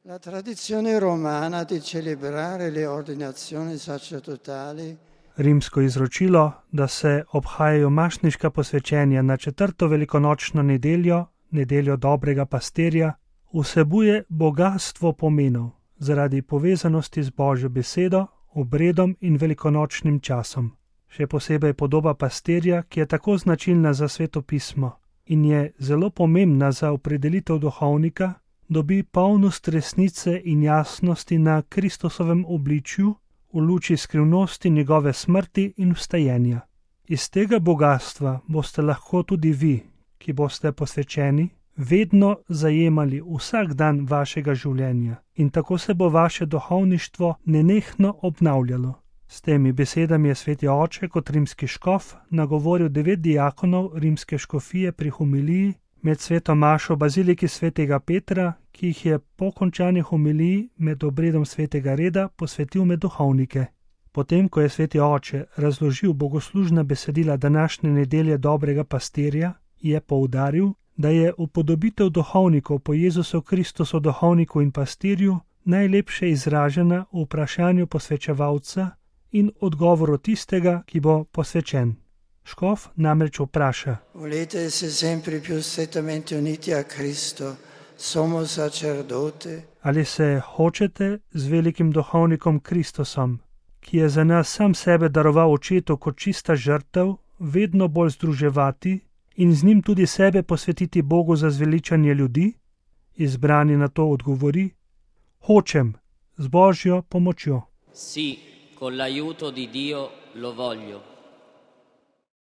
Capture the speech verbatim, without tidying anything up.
La tradizione romana di celebrare le ordinazioni sacerdotali, rimsko izročilo, da se obhajajo mašniška posvečenja na četrto velikonočno nedeljo, nedeljo dobrega pastirja, vsebuje bogastvo pomenov zaradi povezanosti z Božjo besedo, obredom in velikonočnim časom. Še posebej podoba pastirja, ki je tako značilna za Sveto pismo in je zelo pomembna za opredelitev duhovnika, dobi polnost resnice in jasnosti na Kristusovem obličju v luči skrivnosti njegove smrti in vstajenja. Iz tega bogatstva boste lahko tudi vi, ki boste posvečeni, vedno zajemali vsak dan vašega življenja in tako se bo vaše duhovništvo nenehno obnavljalo. S temi besedami je sveti oče kot rimski škof nagovoril devet diakonov rimske škofije pri homiliji med sveto mašo v baziliki svetega Petra, ki jih je po končani homiliji med obredom svetega reda posvetil med duhovnike. Potem, ko je sveti oče razložil bogoslužna besedila današnje nedelje dobrega pastirja, je poudaril, da je upodobitev duhovnikov po Jezusu Kristusu duhovniku in pastirju najlepše izražena v vprašanju posvečevalca in odgovoru tistega, ki bo posvečen. Škof namreč vpraša: volete se sempre più strettamente uniti a Cristo, sommo sacerdote? Ali se hočete z velikim duhovnikom Kristusom, ki je za nas sam sebe daroval očetu kot čista žrtev, vedno bolj združevati in z njim tudi sebe posvetiti Bogu za zveličanje ljudi? Izbrani na to odgovori: hočem, z Božjo pomočjo. Sì, con l'aiuto di Dio lo voglio.